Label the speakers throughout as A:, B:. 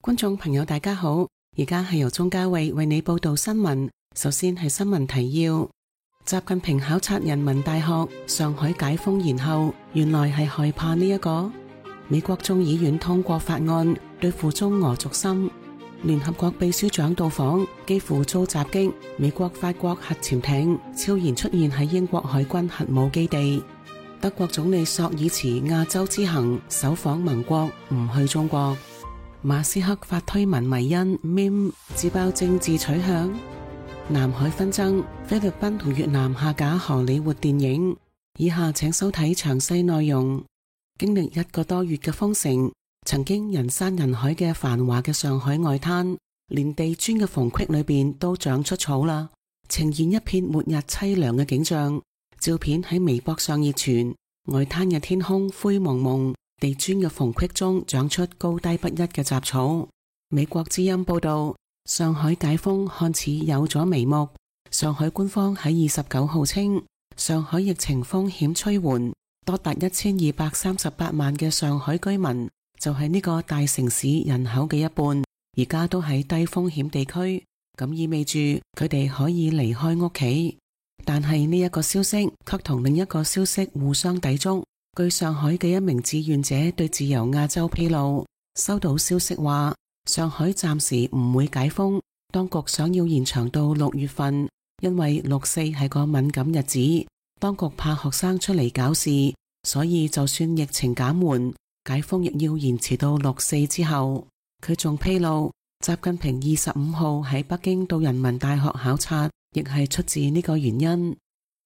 A: 觀眾朋友大家好，而家係由鍾嘉慧為你報道新聞。首先係新聞提要：習近平考察人民大學，上海解封延後，原來係害怕呢一個。美國眾議院通過法案對付中俄軸心。聯合國秘書長到訪，幾乎遭襲擊。美國、法國核潛艇悄然出現喺英國海軍核武基地。德國總理朔爾茨亞洲之行，首訪盟國，唔去中國。馬斯克發推文迷因 meme 自爆政治取向。南海紛爭，菲律賓同越南下架荷里活電影。以下請收睇詳細內容。經歷1個多月嘅封城，曾經人山人海嘅繁華嘅上海外灘，連地磚嘅縫隙裏邊都長出草啦，呈現一片末日淒涼嘅景象。照片喺微博上熱傳，外灘嘅天空灰蒙蒙，地磚嘅縫隙中長出高低不一嘅雜草。美國之音報道，上海解封看似有咗眉目。上海官方喺29號稱，上海疫情風險趨緩，多達1238萬嘅上海居民，就係呢個大城市人口嘅一半，而家都喺低風險地區，咁意味住佢哋可以離開屋企。但係呢一個消息卻同另一個消息互相抵觸。據上海嘅一名志願者對自由亞洲披露，收到消息話上海暫時唔會解封，當局想要延長到6月份，因為6·4係個敏感日子，當局怕學生出嚟搞事，所以就算疫情減緩，解封亦要延遲到6·4之後。佢仲披露，習近平25號喺北京到人民大學考察，亦係出自呢個原因。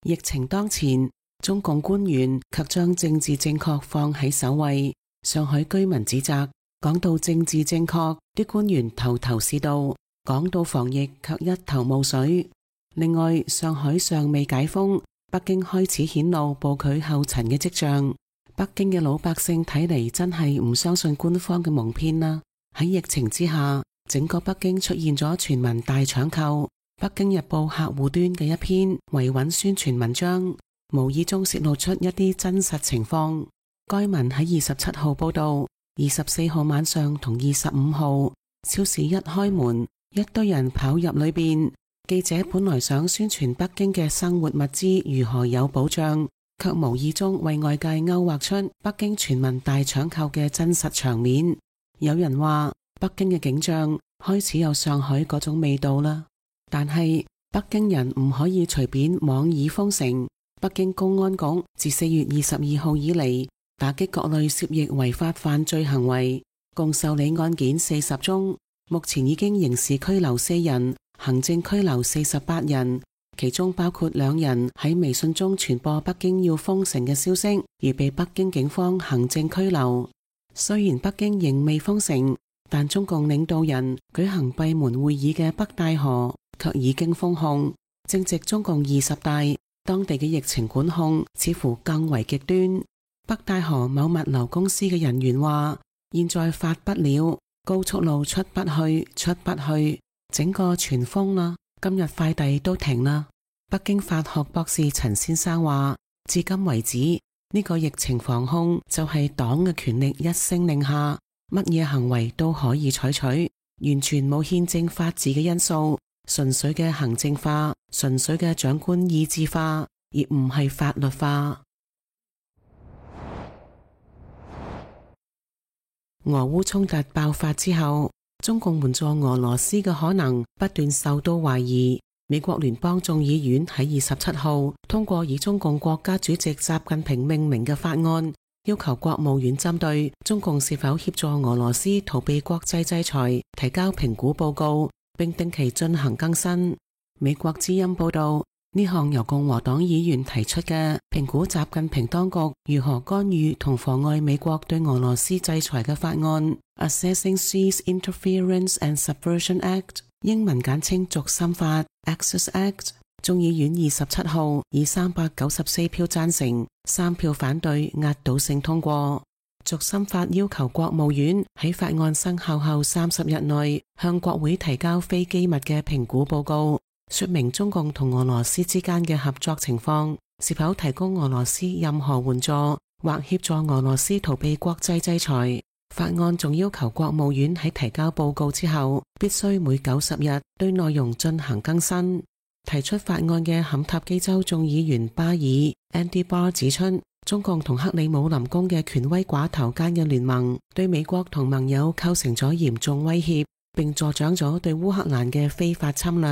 A: 疫情當前，中共官員卻將政治正確放喺首位。上海居民指責，講到政治正確，啲官員頭頭是道，講到防疫卻一頭霧水。另外，上海尚未解封，北京開始顯露步佢後塵嘅跡象。北京嘅老百姓睇嚟真係唔相信官方嘅蒙騙啦。喺疫情之下，整個北京出現咗全民大搶購。北京日報客戶端嘅一篇維穩宣傳文章，無意中洩露出一啲真實情況。該文喺27號報道，24號晚上同25號，超市一開門，一堆人跑入裏邊。記者本來想宣傳北京嘅生活物資如何有保障，卻無意中為外界勾畫出北京全民大搶購嘅真實場面。有人話北京嘅景象開始有上海嗰種味道啦。但係北京人唔可以隨便妄議封城。北京公安局自4月22號以嚟，打擊各類涉疫違法犯罪行為，共受理案件40宗，目前已經刑事拘留4人，行政拘留48人，其中包括2人喺微信中傳播北京要封城嘅消息，而被北京警方行政拘留。雖然北京仍未封城，但中共領導人舉行閉門會議嘅北戴河卻已經封控。正值中共20大，當地嘅疫情管控似乎更為極端。北戴河某物流公司嘅人員話，現在發不了，高速路出不去，整個全封啦。今日快遞都停啦。北京法學博士陳先生話，至今為止，呢個疫情防控就係黨嘅權力一聲令下，乜嘢行為都可以採取，完全冇憲政法治嘅因素，純粹嘅行政化，純粹嘅長官意志化，而唔係法律化。俄烏衝突爆發之後，中共援助俄羅斯嘅可能不斷受到懷疑。美國聯邦眾議院喺27號通過以中共國家主席習近平命名嘅法案，要求國務院針對中共是否協助俄羅斯逃避國際制裁提交評估報告，並定期進行更新。美國之音報道，呢項由共和黨議員提出嘅評估習近平當局如何干預同妨礙美國對俄羅斯制裁嘅法案 Assessing Seas Interference and Subversion Act， 英文簡稱軸心法 Access Act， 眾議院27號以394票贊成、3票反對壓倒性通過。軸心法要求國務院喺法案生效後30日內向國會提交非機密嘅評估報告，說明中共同俄羅斯之間嘅合作情況，是否提供俄羅斯任何援助或協助俄羅斯逃避國際制裁。法案仲要求國務院喺提交報告之後，必須每90日對內容進行更新。提出法案嘅坎塔基州眾議員巴爾 Andy Barr 指出，中共同克里姆林宮嘅權威寡頭間嘅聯盟對美國同盟友構成咗嚴重威脅，並助長咗對烏克蘭嘅非法侵略。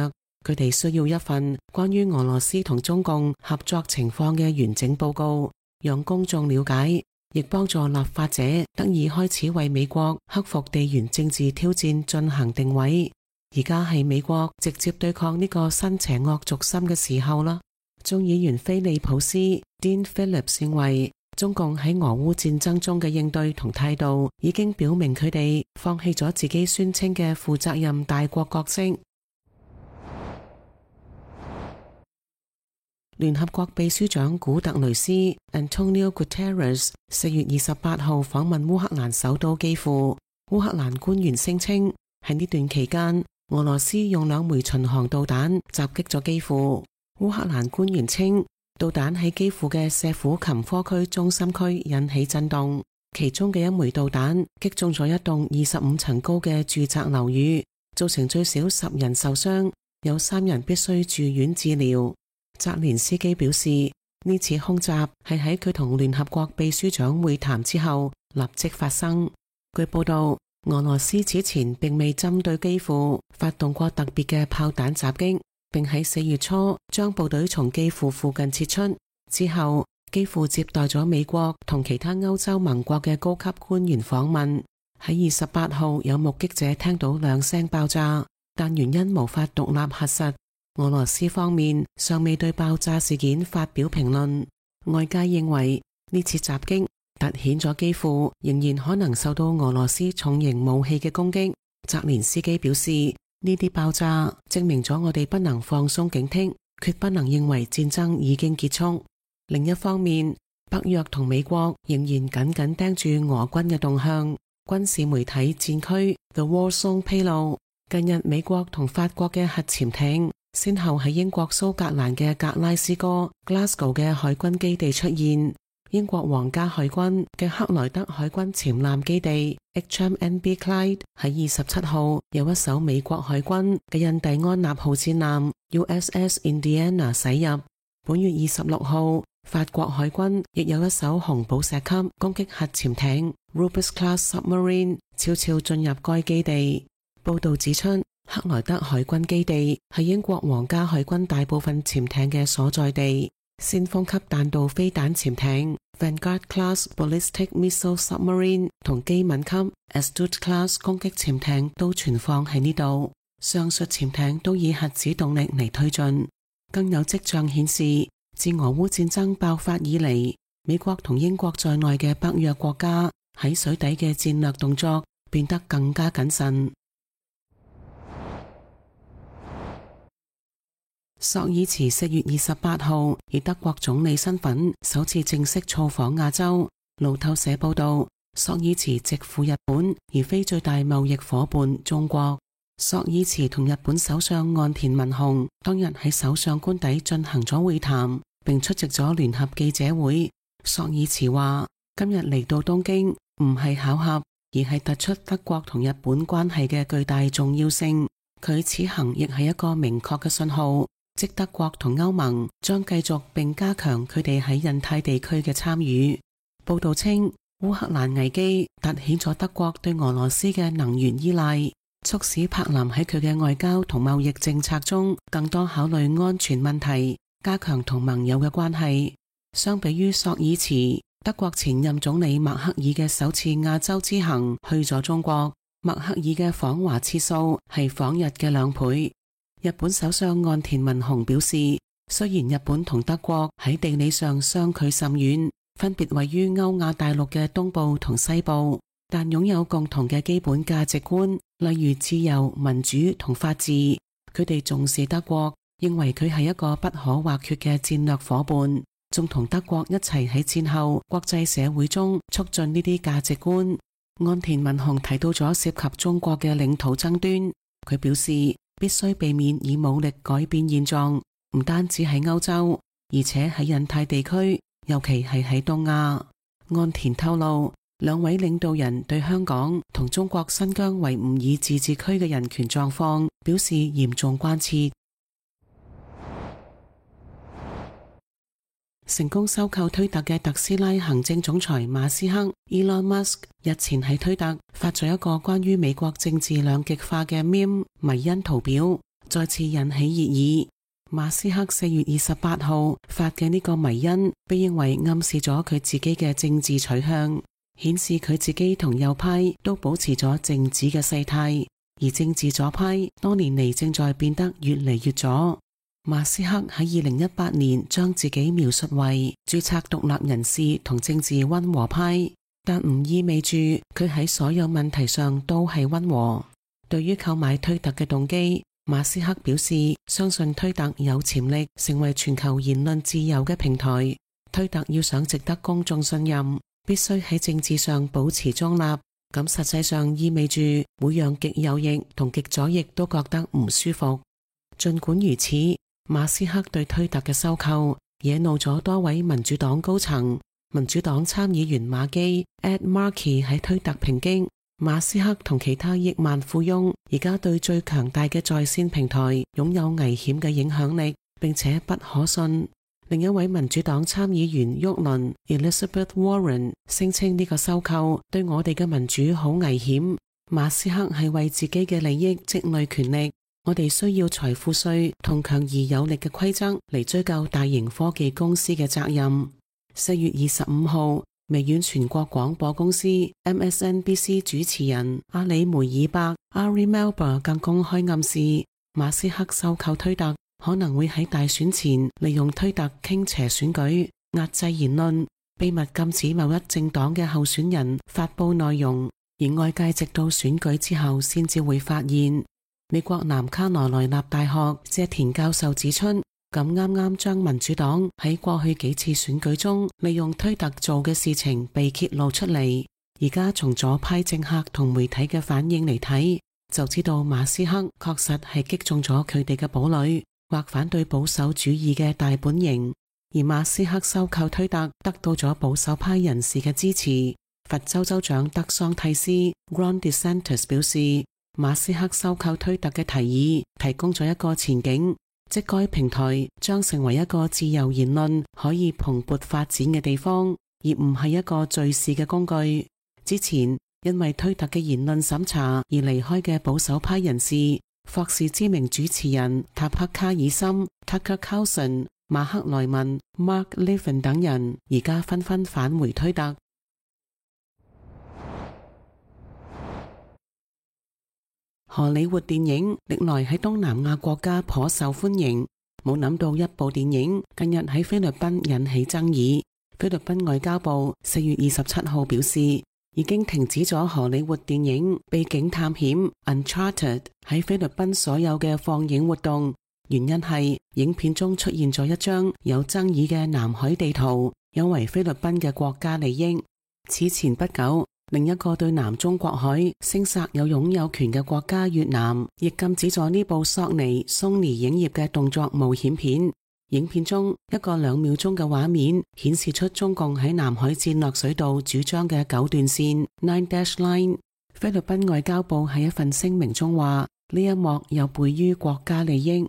A: 佢哋需要一份關於俄羅斯同中共合作情況嘅完整報告，讓公眾了解，亦幫助立法者得以開始為美國克服地緣政治挑戰進行定位。而家係美國直接對抗呢個新邪惡軸心嘅時候啦。眾議員菲利普斯 Dean Phillips 認為，中共喺俄烏戰爭中嘅應對同態度已經表明佢哋放棄咗自己宣稱嘅負責任大國角色。聯合國秘書長古特雷斯 Antonio Guterres 4月28號訪問烏克蘭首都基輔。烏克蘭官員聲稱，喺呢段期間，俄羅斯用2枚巡航導彈襲擊咗基輔。烏克蘭官員稱，導彈喺基輔嘅舍甫琴科區中心區引起震動，其中嘅1枚導彈擊中咗一棟25層高嘅住宅樓宇，造成最少10人受傷，有3人必須住院治療。澤連斯基表示，呢次空襲係喺佢同聯合國秘書長會談之後立即發生。據報道，俄羅斯此前並未針對基輔發動過特別嘅炮彈襲擊，並喺4月初將部隊從基輔附近撤出。之後，基輔接待咗美國同其他歐洲盟國嘅高級官員訪問。喺28號，有目擊者聽到2聲爆炸，但原因無法獨立核實。俄羅斯方面尚未對爆炸事件發表評論。外界認為呢次襲擊凸顯咗基輔仍然可能受到俄羅斯重型武器嘅攻擊。澤連斯基表示，呢啲爆炸證明咗我哋不能放鬆警惕，決不能認為戰爭已經結束。另一方面，北約同美國仍然緊緊盯住俄軍嘅動向。軍事媒體戰區 The War Zone 披露，近日美國同法國嘅核潛艇先後喺英國蘇格蘭嘅格拉斯哥 Glasgow 嘅海軍基地出現。英國皇家海軍嘅克萊德海軍潛艦基地 HMNB Clyde 喺27號有一艘美國海軍嘅印第安納號戰艦 USS Indiana 駛入。本月26號，法國海軍亦有一艘紅寶石級攻擊核潛艇 Rubis Class Submarine 悄悄進入該基地。報道指出，克萊德海軍基地係英國皇家海軍大部分潛艇嘅所在地。先鋒級彈道飛彈潛艇 Vanguard Class Ballistic Missile Submarine 同機敏級 Astute Class 攻擊潛艇都存放喺呢度。上述潛艇都以核子動力嚟推進。更有跡象顯示，自俄烏戰爭爆發以嚟，美國同英國在內嘅北約國家喺水底嘅戰略動作變得更加謹慎。朔爾茨4月28號以德國總理身份首次正式造訪亞洲。路透社報道，朔爾茨直赴日本，而非最大貿易夥伴中國。朔爾茨同日本首相岸田文雄當日喺首相官邸進行咗會談，並出席咗聯合記者會。朔爾茨話：今日嚟到東京唔係巧合，而係突出德國同日本關係嘅巨大重要性。佢此行亦係一個明確嘅信號，即德國同歐盟將繼續並加強佢哋喺印太地區嘅參與。報道稱，烏克蘭危機凸顯咗德國對俄羅斯嘅能源依賴，促使柏林喺佢嘅外交同貿易政策中更多考慮安全問題，加強同盟友嘅關係。相比於朔爾茨，德國前任總理默克爾嘅首次亞洲之行去咗中國，默克爾嘅訪華次數係訪日嘅2倍。日本首相岸田文雄表示，雖然日本同德國喺地理上相距甚遠，分別位於歐亞大陸嘅東部同西部，但擁有共同嘅基本價值觀，例如自由、民主同法治。佢哋重視德國，認為佢係一個不可或缺嘅戰略夥伴，仲同德國一齊喺戰後國際社會中促進呢啲價值觀。岸田文雄提到咗涉及中國嘅領土爭端，佢表示必須避免以武力改變現狀，唔單止喺歐洲，而且喺印太地區，尤其係喺東亞。岸田透露，兩位領導人對香港同中國新疆維吾爾自治區嘅人權狀況表示嚴重關切。成功收購推特嘅特斯拉行政總裁馬斯克 Elon Musk 日前喺推特發咗一個關於美國政治兩極化嘅 meme 迷因圖表，再次引起熱議。馬斯克4月28號發嘅呢個迷因被認為暗示咗佢自己嘅政治取向，顯示佢自己同右派都保持咗靜止嘅勢態，而政治左派多年嚟正在變得越嚟越左。馬斯克喺2018年將自己描述為註冊獨立人士同政治溫和派，但唔意味住佢喺所有問題上都係溫和。對於購買推特嘅動機，馬斯克表示相信推特有潛力成為全球言論自由嘅平台。推特要想值得公眾信任，必須喺政治上保持中立，咁實際上意味住會讓極右翼同極左翼都覺得唔舒服。儘管如此，馬斯克對推特嘅收購惹怒咗多位民主黨高層。民主黨參議員馬基 Ed Markey 喺推特抨擊馬斯克同其他億萬富翁而家對最強大嘅在線平台擁有危險嘅影響力，並且不可信。另一位民主黨參議員沃倫 Elizabeth Warren 聲稱呢個收購對我哋嘅民主好危險。馬斯克係為自己嘅利益積累權力。我哋需要財富稅同強而有力嘅規則嚟追究大型科技公司嘅責任。4月25號，微軟全國廣播公司 MSNBC 主持人阿里梅爾伯 Ari Melber 更公開暗示，馬斯克收購推特可能會喺大選前利用推特傾斜選舉、壓制言論、秘密禁止某一政黨嘅候選人發佈內容，而外界直到選舉之後先至會發現。美國南卡羅來納大學謝田教授指出，咁啱啱將民主黨喺過去幾次選舉中利用推特做嘅事情被揭露出嚟，而家從左派政客同媒體嘅反應嚟睇，就知道馬斯克確實係擊中咗佢哋嘅堡壘，或反對保守主義嘅大本營。而馬斯克收購推特得到咗保守派人士嘅支持。佛州州長德桑蒂斯 Ron DeSantis 表示，馬斯克收購推特嘅提議提供咗一個前景，即該平台將成為一個自由言論可以蓬勃發展嘅地方，而唔係一個敘事嘅工具。之前因為推特嘅言論審查而離開嘅保守派人士，霍士知名主持人塔克卡爾森 Tucker Carlson、馬克萊文 Mark Levin 等人，而家紛紛返回推特。荷里活電影歷來喺東南亞國家頗受歡迎，冇諗到一部電影近日喺菲律賓引起爭議。菲律賓外交部4月27號表示，已經停止咗荷里活電影《秘境探險》Uncharted 喺菲律賓所有嘅放映活動，原因係影片中出現咗一張有爭議嘅南海地圖，有違菲律賓嘅國家利益。此前不久，另一個對南中國海聲薩有擁有權嘅國家越南，亦禁止咗呢部索尼 Sony 影業嘅動作冒險片。影片中一個2秒鐘嘅畫面顯示出中共喺南海戰略水道主張嘅9段線 Nine Dash Line。菲律賓外交部喺一份聲明中話，呢一幕有悖於國家利益。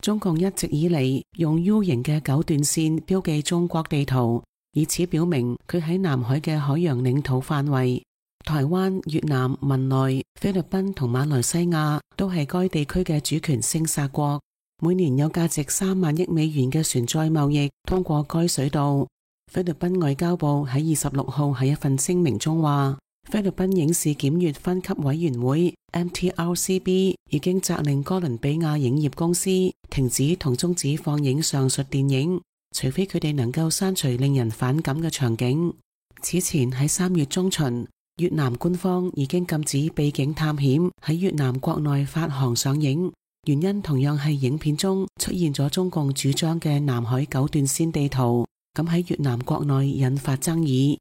A: 中共一直以嚟用 U 型嘅9段線標記中國地圖，以此表明佢喺南海嘅海洋領土範圍。台灣、越南、文萊、菲律賓同馬來西亞都係該地區嘅主權聲薩國，每年有價值3萬億美元嘅船載貿易通過該水道。菲律賓外交部喺26號喺一份聲明中話，菲律賓影視檢閱分級委員會 MTRCB 已經責令哥倫比亞影業公司停止同終止放映上述電影，除非佢哋能夠刪除令人反感嘅場景。此前喺3月中旬，越南官方已經禁止《秘境探險》喺越南國內發行上映，原因同樣係影片中出現咗中共主張嘅南海9段線地圖，咁喺越南國內引發爭議。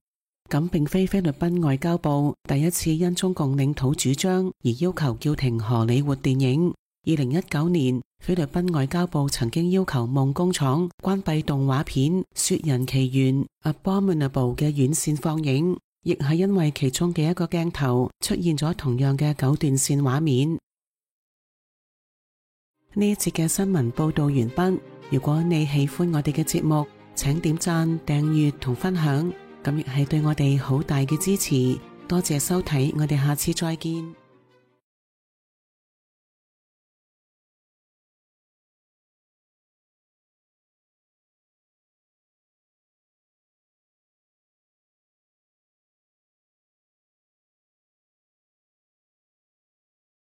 A: 咁並非菲律賓外交部第一次因中共領土主張而要求叫停荷里活電影。2019年，菲律賓外交部曾經要求夢工廠關閉動畫片《雪人奇緣》Abominable 嘅院線放映。亦係因為其中嘅一個鏡頭出現咗同樣嘅9段線畫面。呢一節嘅新聞報道完畢。如果你喜歡我哋嘅節目，請點讚、訂閱同分享，咁亦係對我哋好大嘅支持。多謝收睇，我哋下次再見。